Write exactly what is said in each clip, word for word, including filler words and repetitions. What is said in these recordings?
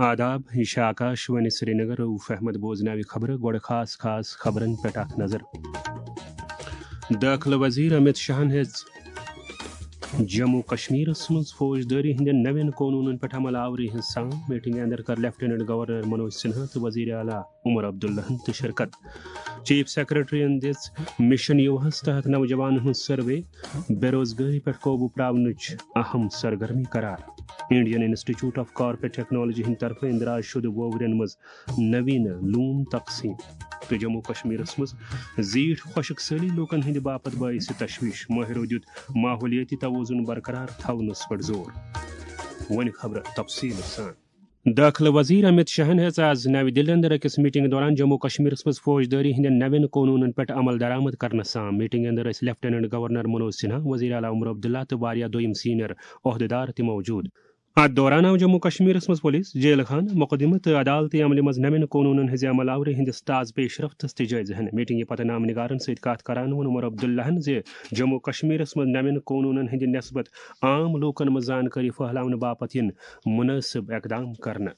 آداب، یہِ چھِ آکاش وانی سرینگر۔ روٗف احمد بوزناوِ خبرٕ۔ گۄڈٕ خاص خاص خبرن پٮ۪ٹھ اکھ نظر۔ دٲخلہٕ وزیر امت شاہن ہیٚژ جموں کشمیرس منٛز فوجدٲری ہٕنٛدٮ۪ن نوٮ۪ن قونوٗنن پٮ۪ٹھ عمل آوری ہٕنٛز سام۔ میٹنگہِ اندر کٔر لیفٹیننٹ گورنر منوج سنہا تہٕ وزیر اعلیٰ عمر عبداللہن تہِ شرکت۔ چیف سیکرٹریَن دِژ مشن یوہس تحت نوجوانن ہٕنٛز سروے، بے روزگٲری پٮ۪ٹھ قوبوٗ پراونٕچ اہم سرگرمی قرار۔ Indian Institute of Corporate technology ہٕنٛدِ طرفہٕ اندراج شدٕ ووورٮ۪ن منٛز نویٖنہٕ لوٗم تقسیٖم۔ تہٕ جموں کشمیرس منٛز زیٖٹھ خۄشک سٲلی لوٗکن ہٕنٛدِ باپتھ باعث تشویش، مٲہرو دیُت ماحولیٲتی توازن برقرار تھاونس پٮ۪ٹھ زور۔ وۄنۍ خبرٕ تفصیٖل سان۔ دٲخلہٕ وزیر امت شاہن ہیٚژ آز نَوِ دِلہِ اندر أکِس میٹنگ دوران جموں کشمیرس منٛز فوجدٲری ہٕنٛدٮ۪ن نوٮ۪ن قونوٗنن پٮ۪ٹھ عمل درآمد کرنس سام۔ میٹنگ اندر ٲسۍ لیفٹیننٹ گورنر منوج سنہا، وزیر اعلیٰ عمر عبداللہ تہٕ واریاہ دوٚیِم سینئر عہدیدار تہِ موجود۔ اتھ دوران آو جموں کشمیرس منٛز پولیس، جیل خانہٕ، مقدمہٕ تہٕ عدالتی عملہِ منٛز نوٮ۪ن قونوٗنن ہٕنٛزِ عمل آورِ ہٕنٛدِس تازٕ پیش رفتس تہِ جٲیزٕ ہینہٕ۔ میٹنگہِ پتہٕ نامہ نگارن سۭتۍ کتھ کران ووٚن عمر عبداللہن زِ جموں کشمیرس منٛز نوٮ۪ن قونوٗنن ہٕنٛدِ نسبت عام لوٗکن منٛز زانکٲری پھٔہلاونہٕ باپتھ یِن مُنٲسِب اقدام کرنہٕ۔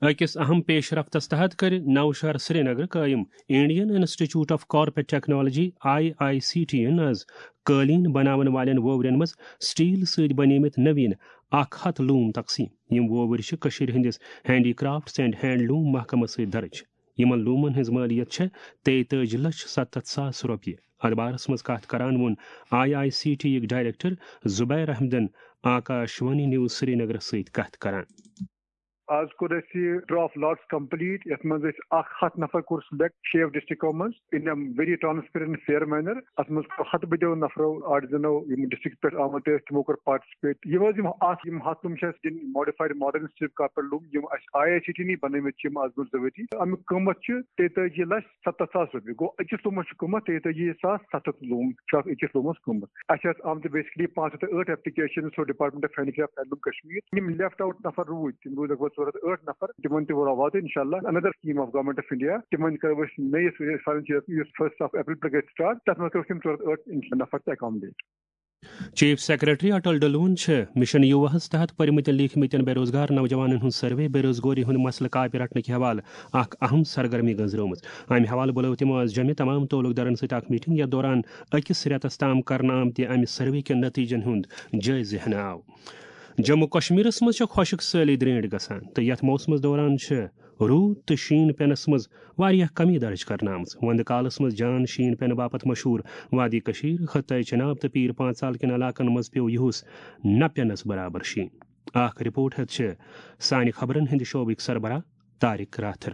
أکِس اہم پیش رفتس تحت کٔرِ نوشہر سرینگر قٲیِم Indian Institute of Corporate Technology, I I C T, یَن آز قٲلیٖن بناون والٮ۪ن ووورٮ۪ن منٛز سٹیل سۭتۍ بنیمٕتۍ نویٖن اکھ ہتھ لوٗم تقسیٖم۔ یِم وووٕرۍ چھِ کٔشیٖرِ ہٕنٛدِس ہینڈی کرافٹس اینڈ ہینڈ لوٗم محکمس سۭتۍ درٕج۔ یِمن لوٗمن ہٕنٛز مٲلیت چھےٚ تیٚیہِ تٲجی لچھ ستتھ ساس رۄپیہِ۔ اتھ بارس منٛز کتھ کران ووٚن آئی آئی سی ٹی یِک ڈائریکٹر زبیر احمدن آکاش وانی نیوز سرینگرس سۭتۍ کتھ کران۔ آز کوٚر اَسہِ یہِ ڈرا آف لاٹس کمپلیٹ، یَتھ منٛز اَسہِ اکھ ہتھ نفر کوٚر سِلیکٹ شیٚیو ڈسٹرکٹو منٛز in a very transparent fair manner۔ اَتھ منٛز کوٚر ہتہٕ بٔدیو نفرو، آرٹزنو، یِم ڈسٹرکٹ پٮ۪ٹھ آمٕتۍ ٲسۍ، تِمو کوٚر پارٹسپیٹ۔ یِم حظ یِم اکھ، یِم ہتھ لوٗم چھِ اَسہِ دِنۍ modified modern strip carpet لوٗم، یِم اَسہِ آئی آئی سی ٹی نٕے بنٲومٕتۍ چھِ یِم آز برونٛہہ زٕ ؤری۔ اَمیُک قۭمتھ چھُ تیٚتٲجی لچھ ستتھ ساس رۄپیہِ۔ گوٚو أکِس لوٗمس چھُ قۭمتھ تیٚتٲجی ساس ستتھ لوٗم چھُ اَتھ أکِس لوٗمس قۭمتھ۔ اَسہِ آسہٕ آمژٕ basically پانٛژھ ہتھ تہٕ ٲٹھ applications to Department of Handicraft Handloom Kashmir۔ یِم left out نفر روٗدۍ، تِم روٗدۍ لگ بھگ ژور ہتھ ٲٹھ نفر، تِمن تہِ ووت واتہٕ انشاءاللہ۔ Another scheme of Government of India، تِمن کرو أسۍ نٔیِس ؤریَس financial year یُس first of April پٮ۪ٹھ گژھِ start، تتھ منٛز کرو أسۍ یِم ژور ہتھ ٲٹھ نفر تہِ accommodate۔ چیف سیکرٹری اٹل ڈلون چھِ مشن یوواہس تحت پٔرمٕتٮ۪ن لیکھمٕتٮ۪ن بے روزگار نوجوانن ہُنٛد سروے، بے روزگٲری ہُنٛد مسلہٕ کاپہِ رٹنہٕ کہِ حوالہٕ اکھ اہم سرگرمی گٔنزرٲومٕژ۔ امہِ حوالہٕ بُلٲو تِمو آز جوٚمہِ تمام تعلق دارن سۭتۍ اکھ میٹنگ، یتھ دوران أکِس رٮ۪تس تام کرنہٕ آمتہِ امہِ سروے کٮ۪ن نتیجن ہُنٛد جٲیزٕ ہٮ۪نہٕ آو۔ جموں کشمیرس منٛز چھےٚ خۄشک سٲلی درینٹھ گژھان تہٕ یتھ موسمس دوران چھِ روٗد تہٕ شیٖن پینس منٛز واریاہ کمی درج کرنہٕ آمٕژ۔ وندٕ کالس منٛز جان شیٖن پینہٕ باپتھ مشہوٗر وادی کشیر، خطہ چناب تہٕ پیٖر پانژال کٮ۪ن علاقن منٛز پیوٚو یِہُس نہ پینس برابر شیٖن۔ اکھ رپورٹ ہیتھ چھِ سانہِ خبرن ہٕنٛدِ شعبٕکۍ سربراہ طارق راتھر۔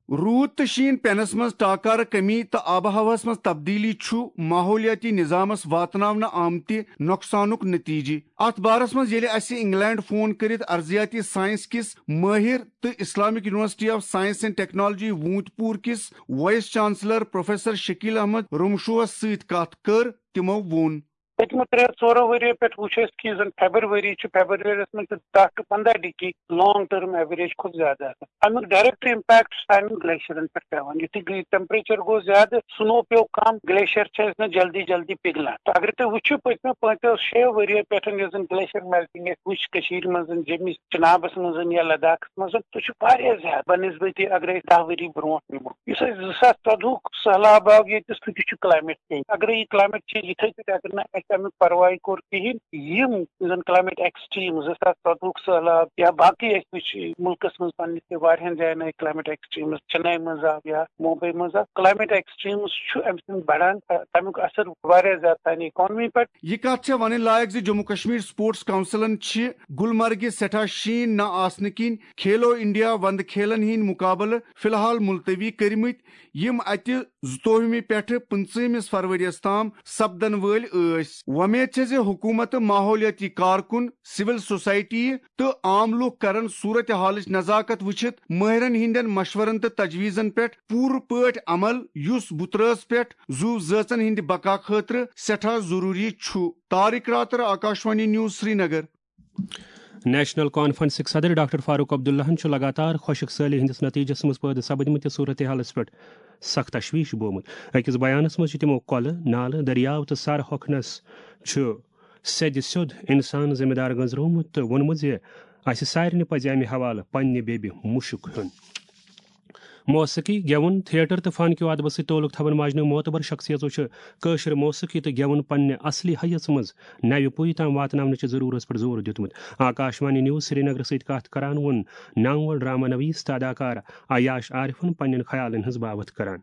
روٗد تہٕ شیٖن پینس منٛز ٹاکارٕ کمی تہٕ آب و ہوہس منٛز تبدیلی چھُ ماحولیٲتی نظامس واتناونہٕ آمتہِ نۄقصانُک نتیجہٕ۔ اتھ بارس منٛز ییٚلہِ اسہِ انگلینڈ فون کٔرِتھ ارضیاتی ساینس کِس مٲہر تہٕ Islamic university of science and technology Awantipora کِس vice chancellor professor Shakeel Ahmad رمشوہس سۭتۍ کتھ کٔر، تِمو ووٚن۔ پٔتمہِ ترٛےٚ ژورو ؤرِیو پٮ۪ٹھ وُچھ اَسہِ کہِ یُس زَن فیبرؤری چھُ، فیبرؤریَس منٛز چھِ دَہ to پنٛداہ ڈگری long term average کھۄتہٕ زیادٕ آسان۔ اَمیُک direct impact چھُ سانٮ۪ن گلیشیرن پٮ۪ٹھ پٮ۪وان۔ یُتھُے گلی-، temperature گوٚو زیادٕ، snow پیوٚو کم، گلیشیر چھِ اَسہِ نہٕ جلدی جلدی پِگلان۔ تہٕ اگر تُہۍ وٕچھِو، پٔتمیو پانٛژو شیٚیو ؤرِیو پٮ۪ٹھ یۄس زَن گلیشیر melting اَسہِ وٕچھ کٔشیٖرِ منٛز، جیٚمِس چنابس منٛز یا لداخس منٛز، سُہ چھُ واریاہ زیادٕ بنسبتِ اگر أسۍ دَہ ؤری برونٛٹھ نِمو۔ یُس اَسہِ زٕ ساس ژۄدہُک سہلاب آو ییٚتہِ، سُہ تہِ چھُ climate change۔ اگرے یہِ climate change یِتھے پٲٹھۍ اگر نہٕ اَسہِ اَمیُک پرواے کوٚر کِہیٖنۍ، یِم زَن climate extreme، زٕ ساس ژۄدہُک سہلاب یا باقٕے اَسہِ وٕچھ مُلکس منٛز پننِس تہِ واریاہن جاین آیہِ climate extremes، چنئی منٛز آو یا ممبئی منٛز آو، climate extremes چھُ اَمہِ سۭتۍ بڑان، تَمیُک اثر واریاہ زیادٕ سانہِ economy پٮ۪ٹھ۔ یہِ کتھ چھےٚ ونٕنۍ لایق زِ جموں کشمیر سپورٹس کونسلن چھِ گلمرگہِ سٮ۪ٹھاہ شیٖن نہ آسنہٕ کِنۍ کھیلو انڈیا وندٕ کھیلن ہٕنٛدۍ مقابلہٕ فی الحال ملتوی کٔرمٕتۍ، یِم اتہِ زٕتووُہمہِ پٮ۪ٹھٕ پٕنٛژٕہمِس فروریَس تام سپدن وٲلۍ ٲسۍ۔ وۄمید چھےٚ زِ حکوٗمت، ماحولیٲتی کارکُن، سول سوسائٹی تہٕ عام لوٗکھ کرن صورت حالٕچ نزاکت وٕچھِتھ مٲہرن ہٕنٛدٮ۪ن مشورن تہٕ تجویزن پٮ۪ٹھ پوٗرٕ پٲٹھۍ عمل، یُس بُترٲژ پٮ۪ٹھ زُو زٲژن ہٕنٛدِ بقا خٲطرٕ سٮ۪ٹھاہ ضروٗری چھُ۔ طارق راتر، آکاشوانی نیوز، سرینگر۔ نیشنل کانفرنسٕکۍ صدر ڈاکٹر فاروق عبداللہن چھُ لگاتار خۄشک سٲلی ہٕنٛدِس نتیجس منٛز پٲدٕ سپدمٕتِس صورتحالس پٮ۪ٹھ سخ تشویش بومُت۔ أکِس بیانس منٛز چھِ تِمو کۄلہٕ، نالہٕ، دٔریاو تہٕ سر ہۄکھنس چھُ سیٚدِ سیوٚد انسان ذمہٕ دار گٔنزرومُت تہٕ ووٚنمُت زِ اسہِ سارنٕے پزِ امہِ حوالہٕ پننہِ بیبہِ مُشُک ہیوٚن۔ موسیقی، گٮ۪وُن، تھیٹر تہٕ فن کیو ادبس سۭتۍ تعلق تھاون واجنیو معتبر شخصیژو چھِ کٲشِر موسیقی تہٕ گٮ۪وُن پننہِ اصلی حیژ منٛز نوِ پُیہِ تام واتناونٕچہِ ضروٗرتس پٮ۪ٹھ زور دیُتمُت۔ آکاشوانی نیوز سرینگرٕ سۭتۍ کتھ کران ووٚن نامور ڈرامہ نویس تہٕ اداکار عیاش عارفن پننٮ۪ن خیالن ہٕنٛز باوتھ کران۔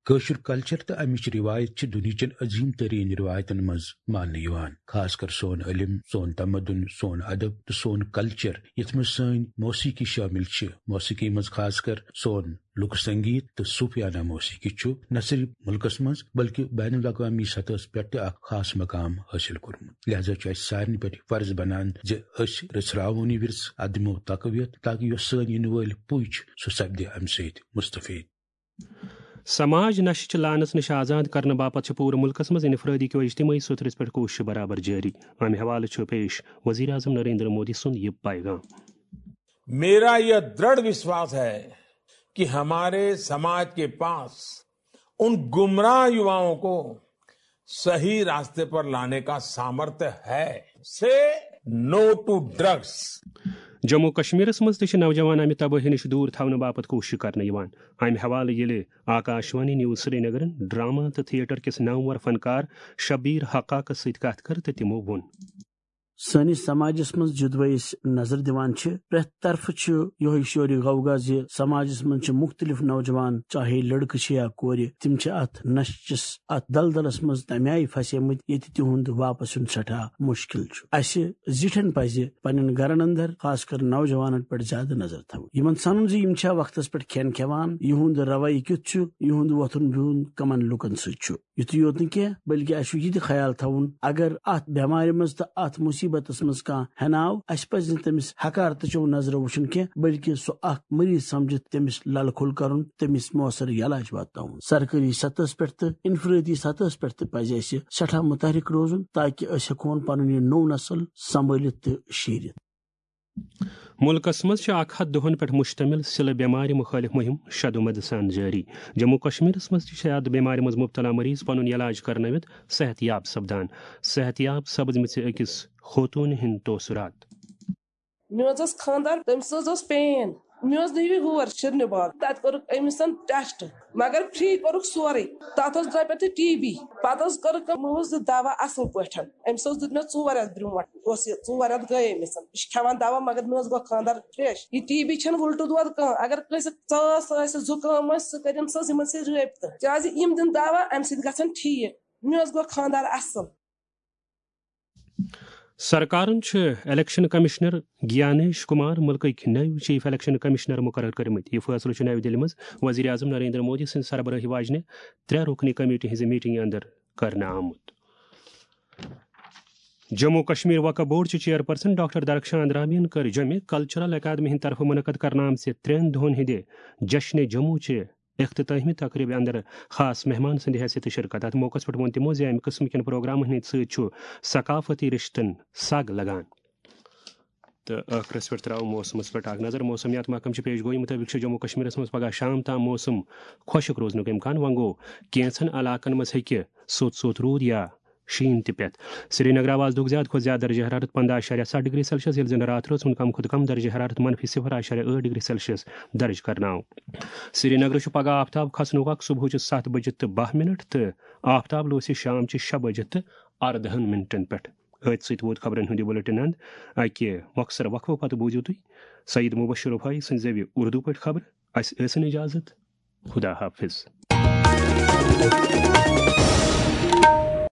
کٲشُر کلچر تہٕ امِچ رِوایت چھِ دُنیہچٮ۪ن عظیٖم تریٖن رِوایتن منٛز ماننہٕ یِوان۔ خاص کر سون علم، سون تمدُن، سون ادب تہٕ سون کلچر، یتھ منٛز سٲنۍ موسیقی شٲمِل چھِ۔ موسیقی منٛز خاص کر سون لوک سنگیت تہٕ صوفیانہ موسیقی چھُ نہ صرف ملکس منٛز بلکہ بین الاقوامی سطحس پٮ۪ٹھ تہِ اکھ خاص مقام حٲصِل کوٚرمُت۔ لہذا چھُ اسہِ سارنٕے پٮ۪ٹھ یہِ فرض بنان زِ أسۍ رژھراوون یہِ ورثہٕ ادمو تقویت، تاکہ یۄس سٲنۍ یِنہٕ وٲلۍ پُے چھِ، سُہ سپدِ امہِ سۭتۍ مستفید۔ سماج نشہٕ چہِ لعنژ نِش آزاد کرنہٕ باپتھ چھِ پوٗرٕ مُلکس منٛز انفرٲدی کیو اجتمٲعی سوٚتھرِس پٮ۪ٹھ کوٗششہٕ برابر جٲری۔ امہِ حوالہٕ چھُ پیش وزیر اعظم نریندر مودی سُنٛد یہِ پیغام۔ मेरा यह दृढ़ विश्वास है कि हमारे समाज के पास उन गुमराह युवाओं को सही रास्ते पर लाने का सामर्थ्य है। से नो टू ड्रग्स। جموں کشمیرس منٛز تہِ چھِ نوجوان امہِ تبٲہی نِش دوٗر تھاونہٕ باپتھ کوٗشش کرنہٕ یِوان۔ امہِ حوالہٕ ییٚلہِ آکاشوانی نیوز سرینگرن ڈرامہ تہٕ تھیٹر کِس نامور فنکار شبیر حقاقس سۭتۍ کتھ کٔر تہٕ تِمو ووٚن۔ سٲنِس سماجس منٛز یوٚدوے أسۍ نظر دِوان چھِ، پرٛٮ۪تھ طرفہٕ چھُ یِہوٚے شورِ غوغا زِ سماجس منٛز چھِ مُختٔلِف نوجوان، چاہے لڑکہٕ چھِ یا کورِ، تِم چھِ اتھ نشہٕ چِس اتھ دلدلس منٛز تمہِ آیہِ پھسیمٕتۍ ییٚتہِ تِہُنٛد واپس یُن سٮ۪ٹھاہ مُشکِل چھُ۔ اسہِ زِٹھٮ۪ن پزِ پننٮ۪ن گرن اندر خاص کر نوجوانن پٮ۪ٹھ زیادٕ نظر تھاوٕنۍ، یِمن سنُن زِ یِم چھا وقتس پٮ۪ٹھ کھٮ۪ن کھٮ۪وان، یِہُنٛد رویہِ کیُتھ چھُ، یِہُنٛد وۄتھُن بِہُن کمن لوٗکن سۭتۍ چھُ۔ یُتُے یوت نہٕ کینٛہہ، بلکہِ اسہِ چھُ یہِ تہِ خیال تھاوُن، اگر اتھ بٮ۪مارِ منٛز تہٕ اتھ مُصیبتس منٛز کانٛہہ ہٮ۪ناو، اسہِ پزِ نہٕ تٔمِس حقارتہٕ چو نظرو وٕچھُن کینٛہہ، بلکہِ سُہ اکھ مریض سمجھِتھ تٔمِس للہٕ کھول کرُن، تٔمِس مؤثر علاج واتناوُن۔ سرکٲری سطحس پٮ۪ٹھ تہٕ انفرٲدی سطحس پٮ۪ٹھ تہِ پزِ اسہِ سٮ۪ٹھاہ متحرک روزُن، تاکہِ أسۍ ہٮ۪کہون پنُن یہِ نوٚو نسل سنبھٲلِتھ تہٕ شیٖرِتھ۔ مُلکس منٛز چھِ اکھ ہتھ دۄہن پٮ۪ٹھ مُشتمِل سِلہٕ بٮ۪مارِ مُخٲلِف مُہِم شدومد سان جٲری۔ جموں کشمیرس منٛز تہِ چھِ اتھ بٮ۪مارِ منٛز مُبتلا مریض پنُن علاج کرنٲوِتھ صحت یاب سپدان۔ صحت یاب سپٕدمٕژِ أکِس خوتوٗنہِ ہٕنٛدۍ تٲثرات۔ مےٚ حظ ٲس خانٛدار، تٔمِس حظ ٲس پین۔ مےٚ حظ نیوٗ یہِ ہور شیرنہِ باغ، تتہِ کوٚرُکھ أمِس ٹیسٹ، مگر فری کوٚرُکھ سورُے۔ تتھ ٲس دپان تہِ ٹی بی۔ پتہٕ حظ کوٚرُکھ أمۍ، یِمو حظ دیُت دوا اصل پٲٹھۍ۔ أمِس حظ دیُت مےٚ ژور رٮ۪تھ برونٛٹھ، اوس یہِ ژور رٮ۪تھ گٔے أمِس۔ یہِ چھُ کھٮ۪وان دوا، مگر مےٚ حظ گوٚو خانٛدر فرٛٮ۪ش۔ یہِ ٹی بی چھَنہٕ وُلٹہٕ دود کانٛہہ۔ اگر کٲنٛسہِ ژاس آسہِ، زُکام آسہِ، سُہ کٔرِنۍ سۄ یِمن سۭتۍ رٲبطہٕ، کیازِ یِم دِن دوا، امہِ سۭتۍ گژھن ٹھیٖک۔ مےٚ حظ گوٚو خانٛدر اصل۔ سرکارن چھُ الیکشن کمشنر گیانیش کمار ملکٕکۍ نٔوۍ چیف الیکشن کمشنر مقرر کٔرمٕتۍ۔ یہِ فٲصلہٕ چھُ نَوِ دِلہِ منٛز وزیر اعظم نریندر مودی سٕنٛز سربرٲہی واجنہِ ترٛےٚ رُکنی کمیٹی ہٕنٛزِ میٹنگہِ اندر کرنہٕ آمُت۔ جموں کشمیر وقف بورڈ چہِ چیئرپرسن ڈاکٹر درخشان رابین کٔر جوٚمہِ کلچرل اکیڈمی ہٕنٛدِ طرفہٕ منعقد کرنہٕ آمژِ ترٛٮ۪ن دۄہن ہٕنٛدِ جشن جموں چہِ اختتامی تقریبہِ اندر خاص مہمان سٕنٛدِ حیثیتہٕ شرکت۔ اتھ موقعس پٮ۪ٹھ ووٚن تِمو زِ امہِ قٕسمہٕ کٮ۪ن پروگرامن ہٕنٛدِ سۭتۍ چھُ ثقافتی رشتن سگ لگان۔ تہٕ ٲخرس پٮ۪ٹھ ترٛاوو موسمس پٮ۪ٹھ اکھ نظر۔ موسمیات محکمہٕ چہِ پیش گویی مُطٲبِق چھُ جموں کشمیرس منٛز پگاہ شام تام موسم خۄشک روزنُک امکان۔ وۄنۍ گوٚو، کینٛژن علاقن منٛز ہیٚکہِ سوٚت سوٚت روٗد یا شیٖن تہِ پٮ۪تھ۔ سرینگر آو آز دۄہُک زیادٕ کھۄتہٕ زیادٕ درجہ حرارت پنٛداہ اعشاریہ ستھ ڈگری سیلسیس، ییٚلہِ زن راتھ رٲژ ہُنٛد کم کھۄتہٕ کم درجہ حرارت منفی صفر اعشاریہ ٲٹھ ڈگری سیلسیس درج کرنہٕ آو۔ سرینگرٕ چھُ پگاہ آفتاب کھسنُک وق صبحٕچہِ ستھ بجہِ تہٕ باہ منٹ تہٕ آفتاب لوسہِ شام چہِ شےٚ بجہِ تہٕ اردہن منٹن پٮ۪ٹھ۔ أتھۍ سۭتۍ ووت خبرن ہُنٛد یہِ بُلٹن اند۔ اکہِ مۄخصر وقفہٕ پتہٕ بوٗزِو تُہۍ سعید مبشر رفاعی سٕنٛزِ زیوِ اردو پٲٹھۍ خبرٕ۔ اسہِ ٲسِن اجازت۔ خدا حافظ۔